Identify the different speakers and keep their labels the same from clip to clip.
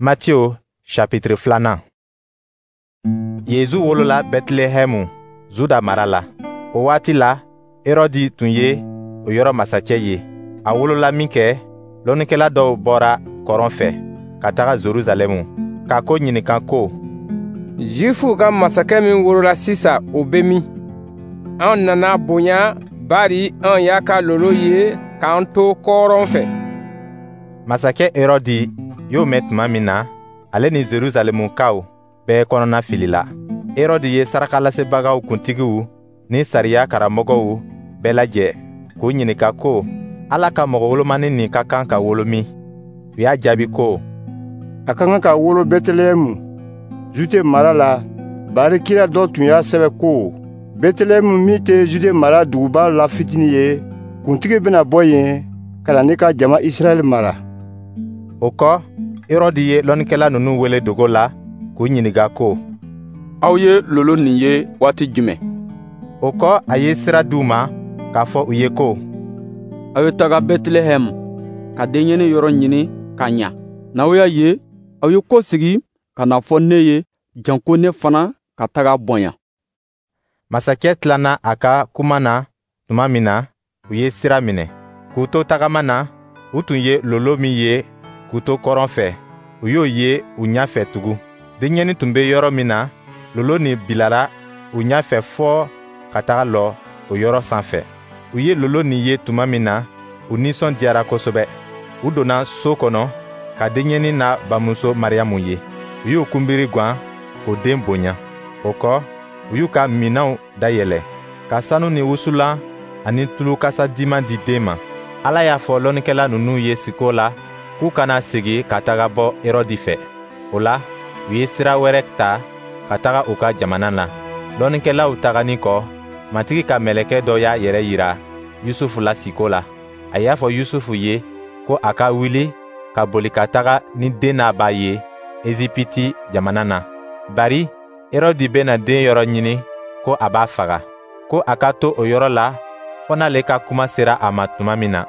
Speaker 1: Matthieu chapitre 2nan. Yezu wolola Bɛtilɛhɛmu, Zuda mara la. O waati la, Herɔdi tun ye o yɔrɔ masacɛ ye. A wolola minkɛ, lɔnnikɛla dɔw bɔra kɔrɔn fɛ ka taga Jerusalɛmu, ka ko ɲininka ko:
Speaker 2: «Zifuw ka masakɛ min wolola sisan, o bɛ min? Anw nana a bonya, bari anw y'a ka lolo ye k'an to kɔrɔn fɛ.»
Speaker 1: Masakɛ Herɔdi y'o mɛn tuma min na, ale ni Jerusalɛmukaw bɛɛ kɔnɔna filila. Herɔdi ye sarakalasebagaw kuntigiw ni sariya karamɔgɔw bɛɛ lajɛ k'u ɲininka ko Ala ka mɔgɔ wolomani nin ka kan ka wolo min. U y'a jaabi ko:
Speaker 3: «A ka kan ka wolo Bɛtilɛhɛmu, Jude mara la, bari kira dɔ tun y'a sɛbɛ ko: Bɛtilɛhɛmu min tɛ Jude mara duguba la fitini ye, kuntigi bɛna bɔ yen ka na ne ka jama Israɛl mara.»
Speaker 1: O kɔ, Herɔdi ye lɔnnikɛla ninnu wele dogo la k'u ɲininka ko:
Speaker 4: «Aw ye lolo nin ye waati jumɛn?»
Speaker 1: O kɔ, a ye sira d'u ma k'a fɔ u ye ko:
Speaker 4: «Aw ye taga Bɛtilɛhɛmu ka denyɛnin yɔrɔ ɲini ka ɲa. N'aw y'a ye, aw ye kɔsegin ka n'a fɔ ne ye, janko ne fana ka taga bonya.»
Speaker 1: Masakɛ tilanna a ka kuma na tuma min na, u ye sira minɛ. K'u to tagama na, u tun ye lolo min ye k'u to kɔrɔn fɛ, u y'o ye u ɲɛfɛ tugun. Denyɛnin tun bɛ yɔrɔ min na, lolo nin bilara u ɲɛfɛ fɔɔ ka taga lɔ o yɔrɔ sanfɛ. U ye lolo nin ye tuma min na, u nisɔndiyara kosɛbɛ. U donna so kɔnɔ ka denyɛnin n'a bamuso Mariyamu ye. U y'u kunbiri gwan k'o den bonya. O kɔ, u y'u ka minɛnw dayɛlɛ ka sanu ni wusulan ani tulu kasadiman di den ma. Ala y'a fɔ lɔnnikɛla ninnu ye siko la k'u kana segin ka taga bɔ Herɔdi fɛ. O la, u ye sira wɛrɛ ta ka taga u ka jamana na. Lɔnnikɛlaw taganin kɔ, Matigi ka mɛlɛkɛ dɔ y'a yɛrɛ yira Yusufu la siko la. A y'a fɔ Yusufu ye ko a ka wuli ka boli ka taga ni den n'a ba ye Ezipiti jamana na, bari Herɔdi bɛna den yɔrɔ ɲini ko a b'a faga, ko a ka to o yɔrɔ la fɔ n'ale ka kuma sera a ma tuma min na.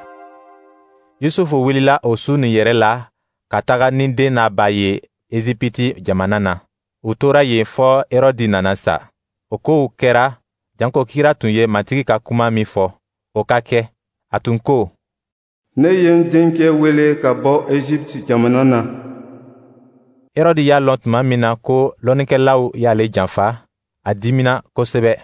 Speaker 1: Yusufu wulila o su nin yɛrɛ la ka taga ni den n'a ba ye Ezipiti jamana na. U tora yen fɔ Herɔdi nana sa. O kow kɛra janko kira tun ye Matigi ka kuma min fɔ, o ka kɛ. A tun ko:
Speaker 5: «Ne ye n denkɛ wele ka bɔ Egypte jamana na.»
Speaker 1: Herɔdi y'a lɔn tuma min na ko lɔnnikɛlaw y'ale janfa, a dimina kosɛbɛ.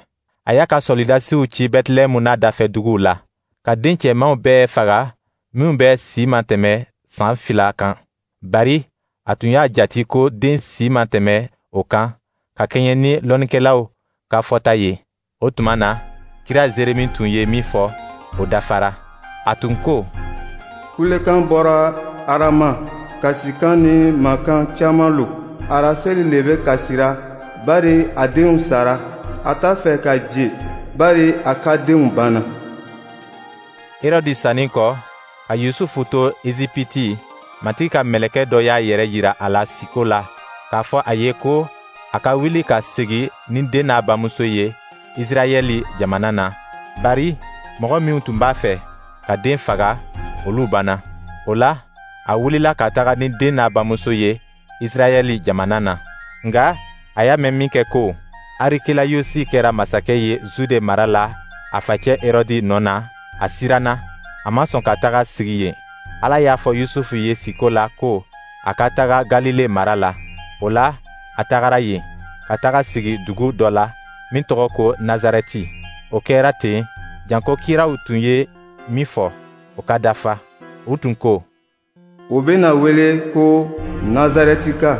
Speaker 1: A y'a ka sɔlidasiw ci Bɛtilɛhɛmu n'a dafɛ duguw la, ka den cɛmanw bɛɛ faga minw bɛ si ma tɛmɛ san 2 kan. Bari a tun y'a jati ko den si ma tɛmɛ o kan, ka kɛɲɛ ni lɔnnikɛlaw ka fɔta ye. O tuma na, kira Zeremi tun ye min fɔ, o dafara. A tun ko:
Speaker 5: «Kulekan bɔra Arama, kasikan ni mankan caman lo. Arasɛli le bɛ kasira, bari a denw sara. A t'a fɛ ka je, bari a ka denw banna.»
Speaker 1: Herɔdi sanin kɔ, ka Yusufu to Ezipiti, Matigi ka mɛlɛkɛ dɔ y'a yɛrɛ yira a la siko la k'a fɔ a ye ko a ka wuli ka segin ni den n'a bamuso ye Israɛli jamana na, bari mɔgɔ minw tun b'a fɛ ka den faga, olu banna. O la, a wulila ka taga ni den n'a bamuso ye Israɛli jamana na. Nka a y'a mɛn minkɛ ko Arikelayusi kɛra masakɛ ye Zude mara la a facɛ Herɔdi nɔ na, a siranna, a ma sɔn ka taga sigi yen. Ala y'a fɔ Yusufu ye siko la ko a ka taga Galile mara la. O la, a tagara yen, ka taga sigi dugu dɔ la min tɔgɔ ko Nazarɛti. O kɛra ten, janko kiraw tun ye min fɔ, o ka dafa. U tun ko:
Speaker 5: «O bɛna wele ko Nazarɛtika.»